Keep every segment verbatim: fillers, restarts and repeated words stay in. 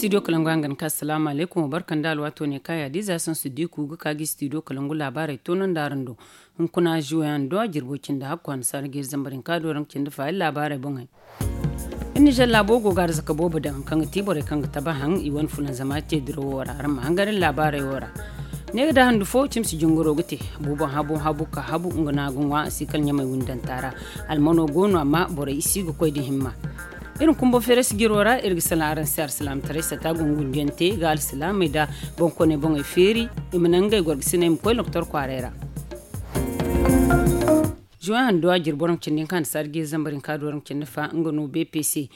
Studio kalangu hangan ka asalaamu alaykum wa barka nda alwaato ne ka yaadiiza sansu diiku ga ka gi studio kalangu laabaarey toonandi araŋ do. Hunkuna zuwe yaŋ do a jirbo cindi hakku hannasaara ga iri zambar hinka do raŋ cindi fa iri laabaarey boŋey. Iri nizer laabo go ga arzaka boobo daŋ kaŋ ga ti borey kaŋ ga taba haŋ i wane fulanzama te dirawo ra araŋ ma hangan iri laabaarey wo ra. Ne ga da handu fo cimsi jingaro ga te. Buuboŋ habu habu ka habu nga no a ga ŋwa a si kala ɲamay windanta ra. Almano go no amma borey i si ga koy da himma. Iri ma kumbo feerasi jiro ra iri ga salaŋ araŋ se alsilaamataray sata gungundiyaŋ te ga alsilaamey nda boŋkooney boŋey feeri. I ma naŋ ngey gorgasiney ma koy loktor kwaaray ra. Zuwan handu a jiri boro ma cindi hinka hannasaara ga iri zambar hinka do ra ma cindi fa nga no bpc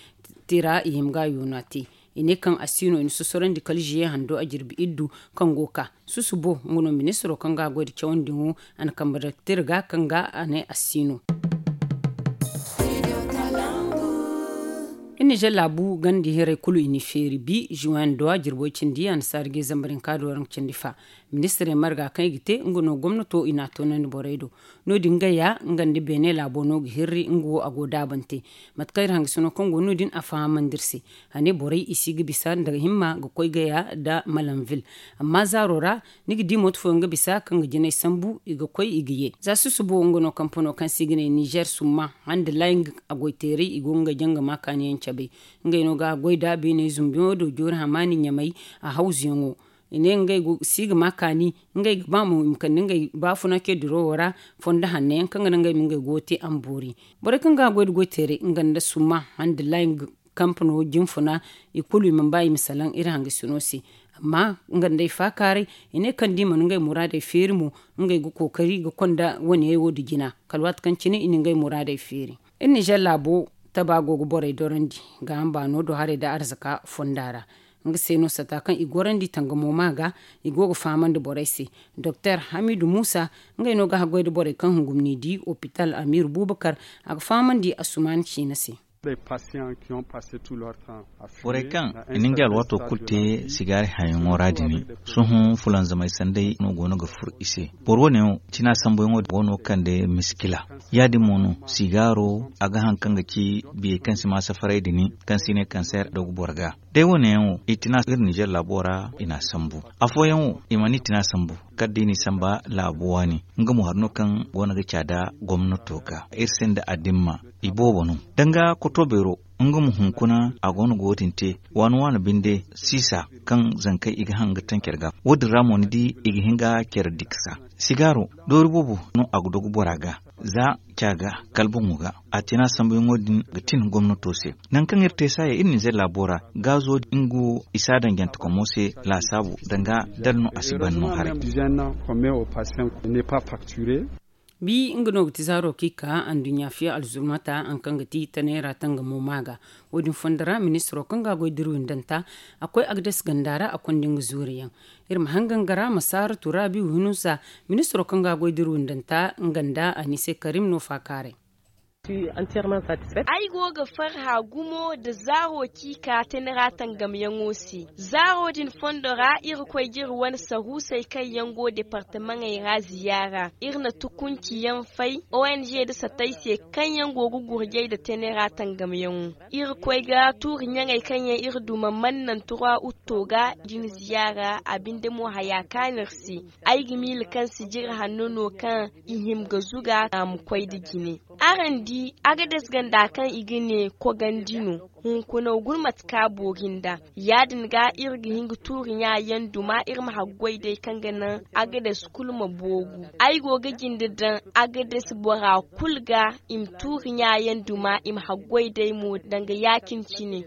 tira i hima ga a yoona te. I ne kaŋ a si no i na sosorandi kala zuwe hando a jirbi iddu kaŋ go ga ka susubo nga no ministiro kaŋ ga a goy nda cawandi ŋo a na kambe daktira ga kaŋ ga a ne a si no. Iri nizer laabu ganda hiray kulu i na i feeri bi zuwan do a jirbo cindi hannasaara ga iri zambar hinka do ra ma cindi fa. Ministirey marga kaŋ i ga te nga no gomnato i na a toonandi borey do. No- din nga ya nga nda beene laabo no ga hirri nga wo a go daabante. Mate kaŋ iri hangasino kaŋ go no- din a fahamandi iri se. A ne borey i si ga bisa nda himma ga koy gaya nda malanvil. Amma zaaro ra ni ga di mooto fooyaŋ ga bisa kaŋ ga jinay sambu i ga koy i ga ye za susubo nga no kampano kaŋ se i ga ne nizer summa hande laying. A goyteeray i go nga janga ma kaaniyaŋ cabay. Ngey no ga a goy nda beeney zumbuyaŋo do joori hamaani ɲamay a hawzuyaŋo. I ne ngey si ga ma kaani ngey ga ba mo i ma kande ngey baafuna ce dirawo ra fondo hanno yaŋ kaŋ ga naŋ ngey ma ngey goyo te a ma boori. Borey kaŋ ga a goy nda goyteeray nga nda summa hande laying kampano jinfuna i kulu i mana ba i ma salaŋ iri hangasino se. Amma nga nda ay faakaaray i ne kaŋ da i mana ngey muraadey feeri mo ngey ga kookari ga konda wane yaŋ wo nda jina kala waati kaŋ cine i na ngey muraadey feeri. Iri nizer laabo taba go ga borey dorandi gaaham baano do haray nda arzaka fonda ra. Nga se no sata kaŋ i gorandi tangamo ma ga i go ga fahamandi borey se. Doktor hamidu muusa ngey no ga haggoy nda borey kaŋ hungum n'i di opital amiiru buubakar a ga fahamandi asuman ciina se. Borey kaŋ i na ngey alwaato kulu te sigaari hayaŋo ra din sohõ fulanzamey sanday no go no ga fur i se. Boro wane wo tina sambuyaŋo go no ga kande miskila. Ya- din mo no sigaaro a ga haŋ kaŋ ga ci biyey kaŋ si ma safaray din kaŋ se i ne kanseer dogu boro ga. Day wane yaŋ wo i tina iri nizer laabo ra i n'a sambu. Afooyaŋ wo i mana i tina sambu kala da i n'i samba laabo waani. Nga mo hari no kaŋ go no ga caada gomnato ga iri se nda adimma. I boobo no danga koto beero nga ma hunkuna a go no ga wo- din te waani waani binde siisa kaŋ zankey i ga haŋ ga taŋ care ga wo- din ra mo ni di i ga hin ga care diksa. Sigaaro doori boobo no a ga dogu bora ga za ca ga kala boŋo ga. A tina sambuyaŋo din ga tin gomnato se. Nangu kaŋ iri te saaya iri nizer laabo ra gaazo nga wo i si a daŋ jantekomo se laasaabu danga dala no a si ban no haray. Bi nga no ga ti zaaro kaŋ i ka anduɲɲa fiya alzurmata haŋ kaŋ ga ti taneera tangamo ma ga. Wo- din fondo ra ministiro kaŋ ga a goy da iri windanta a koy agdes ganda ra a konda nga zuuriyaŋ. Iri ma hangan ga ra ma saara turaabi winusa ministiro kaŋ ga a goy da iri windanta nga nda anise karim no faakaaray. Ay go ga farha gumo nda zaaro kaŋ i ka tane ra tangamyaŋo se. Zaaro din fondo ra iri koy ga iri wane sahuusey kaŋ yaŋ go departamaŋey ra ziyaara iri na tukunci yaŋ fay ong nda satay se kaŋ yaŋ go ga gurjay nda tane ra tangamyaŋo. Iri koy ga tuuri ɲaŋey kaŋ yaŋ iri duma mannan turwa utto ga din ziyaara a binde mo haya kaanu iri se. Ay ga miila kaŋ sijiri hanno no kaŋ i hima ga zuga a ma koy nda jine. Araŋ di agades ganda kaŋ i ga ne kogandi no. Hunkuna guna mate kaŋ a boori nd'a. Ya- din ga iri ga hin ga tuuri ɲa yaŋ duma iri ma haggoy day kaŋ ga naŋ agades kulu ma booru. Ay go ga jinde daŋ agades bora kulu ga i ma tuuri ɲa yaŋ duma i ma haggoy day mo danga ya- cine cine.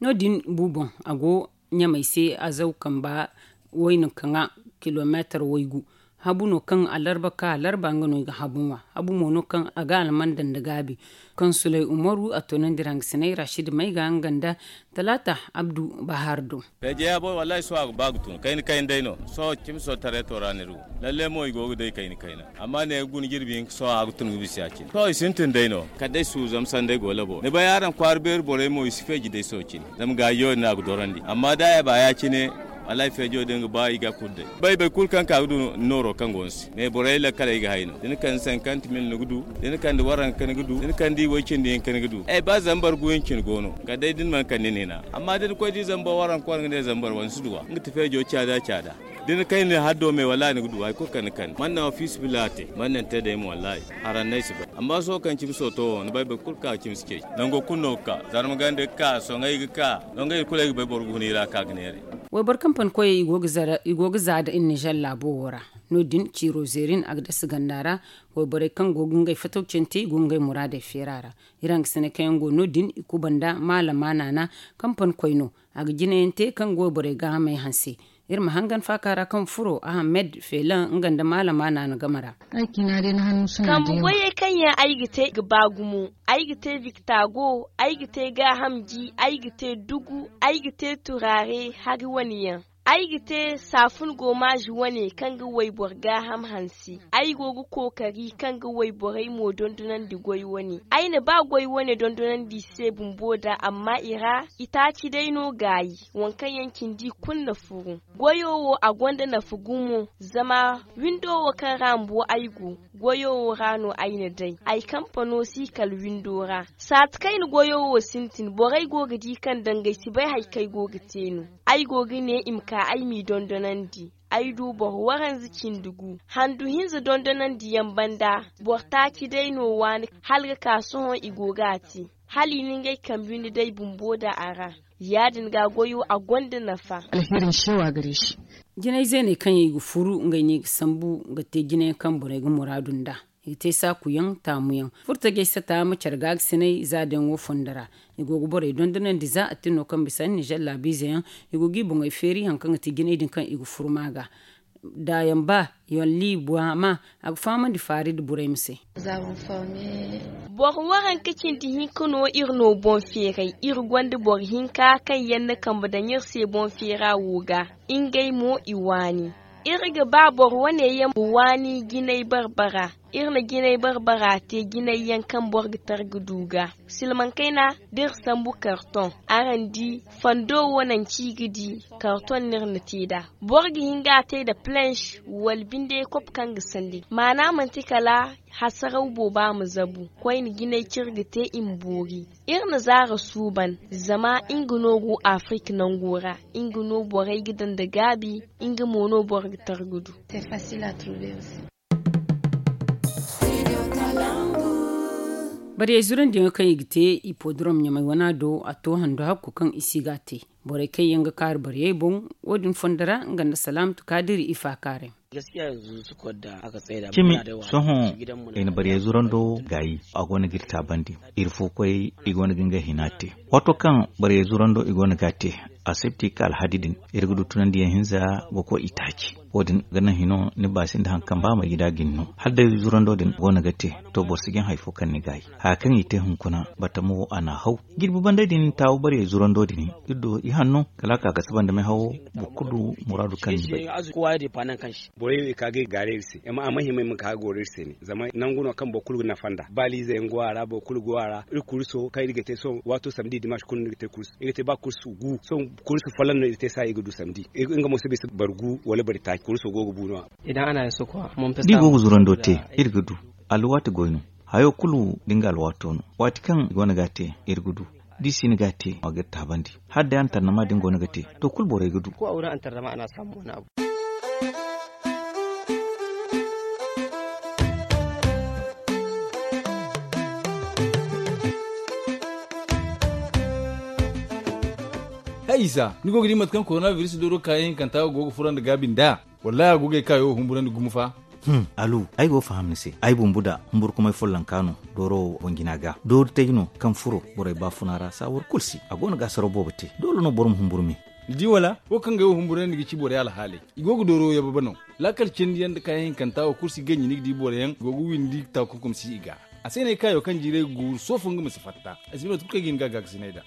No- din bu boŋ a go ɲamey se azaw kamba wayna kaŋa kilomeetar waygu. Habu no kaŋ alarba ka alarba nga no i ga habu ŋwa. Habu mo no kaŋ a ga alman daŋ nda gaabi. Kaŋ sulay umaru a toonandi ra nga sinay rashid may ga nga nda talaata abdu bahar do. Feejeya boy wallahi sohõ a ga ba ga tun kayna kayna day no. Sohõ cimi sohõ tareeto ra ni ru lalle mo i go ga day kayna kayna. Amma ne ga guna jirbi hinka sohõ a ga tun ga bisa ya cine sohõ i sintin day no. Kala day suuzam sanday go labo ni bay araŋ kwaara beeri borey mo i si feeji day sohõ cine. Zama gaajo din a ga dorandi amma da a ba ya- cine. Wallaahi feejo din ga ba i ga kulu day. Bay bay kulu kaŋ ka ga du nooro kaŋ go ni se mais borey lakkaley ga hay no da ni kande cinquante mille ni ga du. Da ni kande waranka ni ga du da ni kande way cindi hinka ni ga du ay ba zambar guyaŋ cine go no kala day da ni mana kande ni hina. Amma da ni koy di zambar waranka wala nga ne zambar wala ni si duw'a nga ti feejo caada caada. Da ni kayna haddo me wallaahi ni ga du hari kulu kaŋ ni kande man naŋ fiisi bila te man naŋ te day mo wallaahi. Harannay si bay amma sohõ kaŋ cimi sooto wo ni bay boro kulu ga ka ga cimi si ceeci nango kulu no ga ka zarma ganda ga ka soŋay ga ka. Dongo iri kulu ay ga bay boro ga hun iri a ka ga neeray. Wayboro kaŋ pankoyey i go ga za nda iri nizer laabo wo ra. No- din ciiro zeerin a ga dasa ganda ra. Wayborey kaŋ go ga ngey fatawcante i go ga ngey muraadey feera ra. Iri hangasiney kaŋ yaŋ go no- din i kuba nda maalama naana kaŋ pankoy no. A ga jinayaŋ te kaŋ ga wayborey gaahamey hanse. Iri ma hangan faaka ra kaŋ furo ahamed feelaŋ nga nda maalama naana game ra. Kambe goyey kaŋ yaŋ ay ga te ga ba gumo. Ay ga te biktago. Ay ga te gaaham ji. Ay ga te dugu. Ay ga te turaare hari wane yaŋ. Ay ga te saafun goomaazi wane kaŋ ga wayboro gaaham hanse. Ay go ga kookari kaŋ ga wayborey mo dondonandi goy wane. Ay na ba goy wane dondonandi i se bumbo da amma i ra itaaci day no gaayi. Waŋ kaŋ yaŋ cindi kulu na furu. Goyo wo a gonda nafa gumo. Zama windo wo kaŋ ra mbo ay go goyo wo ra no ay na day ay kampano si kala windo ra. Saati kaŋ ay na goyo wo sintin borey go ga di kaŋ dangey si bay hari kaŋ ay go ga te no. Ay go ga ne i ma ka ay m'i dondonandi. Ay du boro waranza cindi gu handu hinza dondonandi yaŋ banda. Boro taaci day no waani hala ga ka sohõ i go ga a te. Hala i na ngey kambe windi day bumbo da a ra. Ya- din ga goyo a gonda nafa. Jinay zeeney kaŋ yaŋ i ga furu ngey no i ga sambu ga te jinay yaŋ kaŋ borey ga muraadu nd'a. I ga te saaku yaŋ taamu yaŋ. Furtajey sata ma care gaagasinay za da yaŋ wo fondo ra. I go ga borey dondonandi za a tin no kaŋ bisa nizer laabiize yaŋ. I go ga i boŋey feeri hari kaŋ ga ti jinay din kaŋ i ga furu ma ga. Daayaŋ ba yolli buwa ma a ga fahamandi faari nda burey ma se. Boro waranka cindi hinka no iri no boŋ feeray. Iri gonda boro hinka kaŋ yaŋ na kambe daŋ iri se boŋ feera wo ga. Ngey mo i waani. Iri ga ba boro wane yaŋ ma waani jinay barbara. Iri na jinay barbara te jinay yaŋ kaŋ boro ga tara ga du ga. Silmaŋ kayna da iri sambu kartoŋ. Araŋ di fondo wo naŋ ci ga di kartoŋ no iri na te nd'a. Boro ga hin ga a te nda planche wala binde kopo kaŋ ga sandi maana manti kala hasaraw booba ma zabu. Koyne jinay cire ga te i ma boori. Iri na zaara suuban zama nga no go afirika nango ra. Nga no borey ga daŋ nda gaabi. Nga mo no boro ga tara ga du. Bariyey zurandiyaŋo kaŋ i ga te i podorom ɲamay wana do a to handu hakku kaŋ i si ga a te. Borey kaŋ yaŋ ga kaaru bariyey boŋ wo- din fondo ra nga nda salaamatu kaadiri i faakaaray. Cimi sohõ i na bariyey zurando gaayi a go no ga iri taabandi. Iri fo koy i go no ga ngey hina te. Waato kaŋ bariyey zurando i go no ga a te a sibti ka alhadi din iri ga du tunandiyaŋ hinza ga koy i taaci. Wo- din ga naŋ hino ni ba sinda hari kaŋ ba ma gida ga ni no hala day zurando din go no ga te. To boro si jin hari fo kaŋ ni gaayi haya kaŋ i te hunkuna batamo wo a n'a haw. Jirbi banday din taawu bariyey zurando din iri do i hanno kala a ka ga saba nda meehawo. Boro kulu du muraadu kaŋ ni bay. Borey wo i ka ga i gaara iri se amma a ma hima i ma ka ga goro iri se ne zama nangu no kaŋ boro kulu ga nafa nd'a baaliize yaŋ go a ra boro kulu go a ra. Iri kurso kaŋ iri ga te sohõ waato samdi dimanche kulu no iri ga te kurso iri ga te ba kurso gu sohõ. Kurso folloŋ no iri ga te saayi iri ga du samdi. Nga mo si bisa boro gu wala boro taaci kurso go ga bu no-ya. Da i go ga zurando te iri ga du alwaati goy no. Hayo kulu da nga alwaato no waati kaŋ i go no ga a te iri ga du. Da i si no ga a te a ga iri taabandi hala day antarnama da ni go no ga te to kulu borey ga du. Hay isa ni go ga di mate kaŋ korona biris dooro kaayaŋ hinkanta go ga furo nda gaabi nd'a. Wallaahi a go ga ay kaayo wo humburandi gumo fa. Alu ay go ga faham ni se ay bumbu da humburkumay follonka no. Dooro wo boŋ jina ga dooru tay no kaŋ furo borey baafuna ra saawar kulu se a go no ga asaraw boobo te doole no boro ma humburu me. Ni di wala wo kaŋ ga ay wo humburandi ga ci borey alhaaley. I go ga dooro wo yababa no. Laakal cindi yaŋ nda kaayaŋ hinkanta wo kulu si ganji ni ga di boro yaŋ go ga windi taakunkum si i ga. A se no ay kaayo kaŋ jiiray ga guuru soofo nga ma si fatta. Ay si bay mate kulu kaŋ ay ga hin ga a gaakasinay nd'a.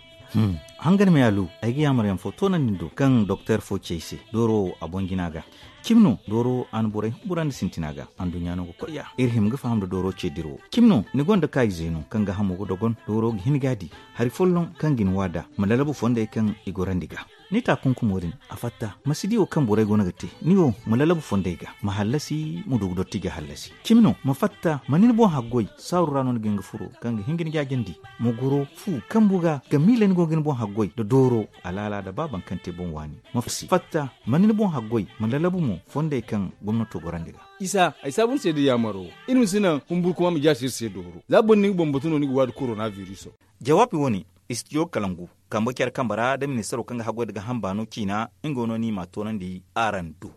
Hangan me alu ay ga yaamar yaŋ fo toonandi ni do kaŋ doktor fo ci ay se dooro wo a boŋ jina ga. Cimi no dooro wo a na borey humburandi sintina ga anduɲɲa no ga koy ya iri hima ga faham nda dooro ce dira wo cimi no ni gonda kaayize no kaŋ ga hamo ga dogon dooro ga hin ga a di. Hari folloŋ kaŋ ga ni waada ma lalabu fondey kaŋ i gorandi ga. Ni ta kunkumo din, a fatta ma si di wo kaŋ borey go no ga te. Ni wo ma lalabu fondey ga ma hallasi ma du ga dotti ga hallasi. Cimi no ma fatta ma ni ni boŋ haggoy. Saaru ra no ni ga hin ga furo kaŋ ga hin ga ni jaajandi. Ma goro fu kambu ga ga miila ni go ga ni boŋ haggoy nda dooro alaala nda ba baŋ kaŋ te boŋ waani. Ma fatta ma ni ni boŋ haggoy ma lalabu mo fondey kaŋ gomnato gorandi ga. Isa ay saabu ni se da yaamaro. Iri ma si naŋ humburu kuma ma jaasi iri se dooro za boro ni ga boŋ batu no ni ga waadi korona viriso. Jawaabi wo- ne, istidiyo kalangu kambe care kambe ra nda ministaro kaŋ ga haggoy nda ga hamba no ciina. Nga no ni ma a toonandi araŋ do.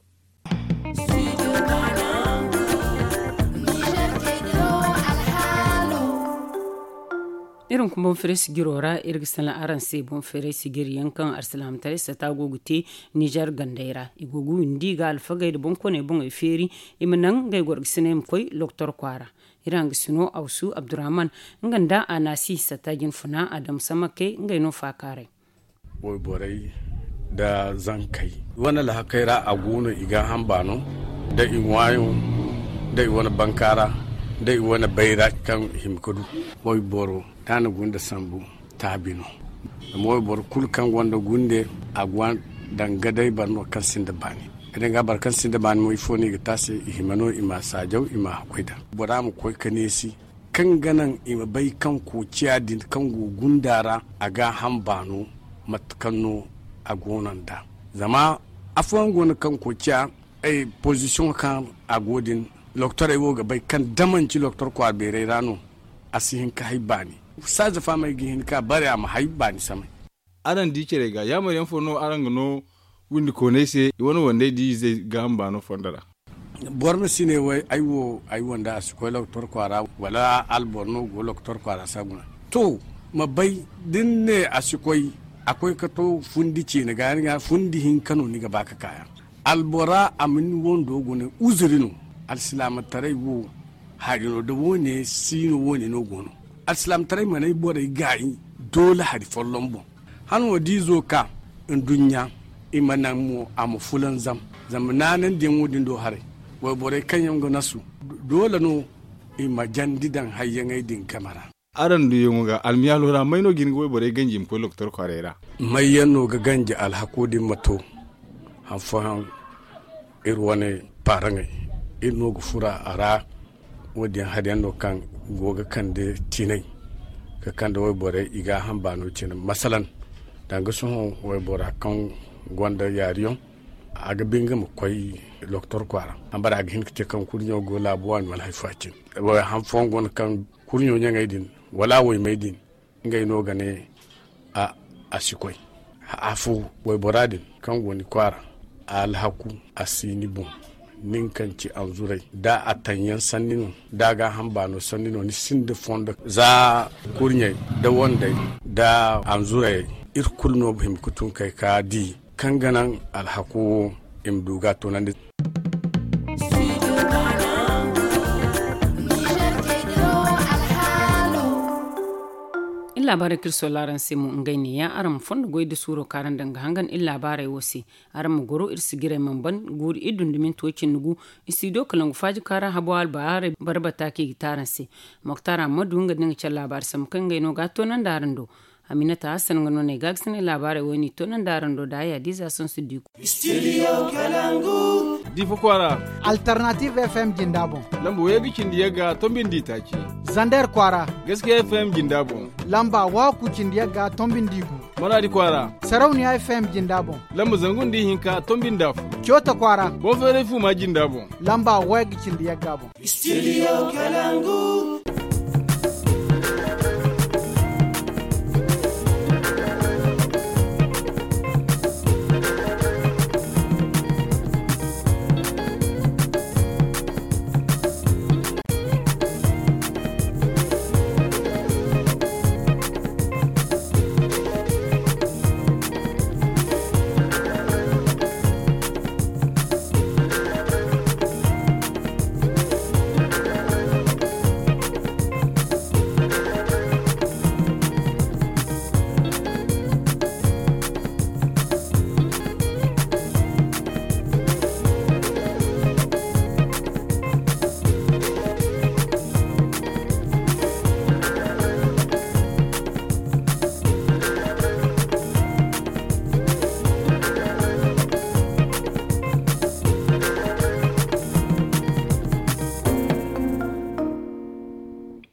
Iri hunkuna boŋ feeray sijiro ra iri ga salaŋ araŋ se boŋ feeray sijiri yaŋ kaŋ alsilaamataray sata go ga te nizer gandey ra. I go ga windi ga alfagey nda boŋkooney boŋey feeri. I ma naŋ ngey gorgasiney ma koy loktor kwaara. Iri hangasino awsu abdurrahman nga nda a naasi sata jinfuna adamu samakey ngey no faakaaray. Wayborey nda zankey wane lahakey ra a go no i ga hamba no nda i ŋwaayo nda i wane bankaara nda i wane bayra kaŋ i hima ga du. Wayboro da a na gunda sambu taabi no. Zama wayboro kulu kaŋ gonda gunde a go danga day boro no kaŋ sinda baani. Ga danga boro kaŋ sinda baani mo ifo no i ga te a se i hima no i ma a saajaw i ma a hakkoy daŋ bora ma koy ga neesi. Kaŋ ga naŋ i ma bay kaŋ koociya din kaŋ go gunda ra a ga a hamba no mate kaŋ no a go no nd'a. Zama afooyaŋ go no kaŋ koociya pozisiyoŋo kaŋ a go din. Loktorey wo ga bay kaŋ da manci loktor kwaara beerey ra no a si hin ga hay baani. Saaza fahamey ga hin ga bare a ma hay baani samay. Araŋ di care ga yaamar yaŋ fo no araŋ ga no windikooney se i wane wandey da izey ga hamba no fondo ra? Boro ma si ne way ay wo ay wanda a si koy loktor kwaara wala alboro no go loktor kwaara si a guna. To ma bay da ni ne a si koy a koy ga to fundi ciine ga ni ga fundi hinka no ni ga ba ga kaayaŋ. Albora a ma ni wando guna uzuri no. Alsilaamataray wo hari no da wo- ne si no wo- ne no go no. Alsilaamataray mana ay borey gaayi doole hari folloŋ boŋ. Hano da izo ka nduɲɲa i ma naŋ mo a ma fulanzam. Zama naanandiyaŋo din do haray wayborey kaŋ yaŋ ga nasu doole no i ma jandi daŋ hayyaŋey din game ra. Araŋ duyaŋo ga almiyaalo ra may no ga hin ga wayborey ganji i ma koy lokotor kwaaray ra? May yaŋ no ga ganji alhako din ma to? Han fooyaŋ iri wane paaraŋey iri no ga fura a ra. Wo- din hari yaŋ no kaŋ go ga kande tiinay ga kande wayborey i ga a hamba no cine masalan danga sohõ waybora kaŋ gonda yaariyaŋ a ga ba nga ma koy lokotor kwaara. Hambara a ga hin ga te kaŋ kurɲo go laabu waani wala hari fo a cine. Han fooyaŋ go no kaŋ kurɲo ɲaŋey din wala waymey din ngey no ga ne a si koy. Afo waybora din kaŋ go ni kwaara a alhaku a si ni boŋ. Nin kaŋ ci anzuray da a taŋyaŋ sanni no da a ga a hamba no sanni no ni sinda fondo za kurɲey da wandey da anzurayey. Iri kulu no ga hima ga tun kay ka di kaŋ ga naŋ alhako wo i ma du ga a toonandi. Iri laabaarey kaŋ iri solla araŋ se mo ngey neeya araŋ ma fondo goy da suuro kaŋ araŋ daŋ ga hangan iri laabaarey wo se. Araŋ ma goro iri sijirey mana ban guuru iri dundumin to cindi gu. Istidiyo kalangu faaji kaŋ araŋ habo albaarey barbata kaŋ i ga te araŋ se. Moktar ammadu nga da nga care laabaari sambu kaŋ ngey no ga a toonandi araŋ do. Aminata hassan nga no no ay ga ga sinay laabaarey wo- ne i toonandi araŋ do da ay adiiza sansu diiku. Diifa kwaara. Alternative fm jinda boŋ. Lamba wayga cindi yagga tombi nda itaaci. Zander kwaara. Gaskiya fm jinda boŋ. Lamba waaku cindi yagga tombi nda igu. Maraadi kwaara. Sarauniya fm jinda boŋ. Lamba zangu nda ihinka tombi nda afo. Coota kwaara. Boŋ feeray fuuma jinda boŋ. Lamba wayga cindi yagga boŋ. Studio kalangu.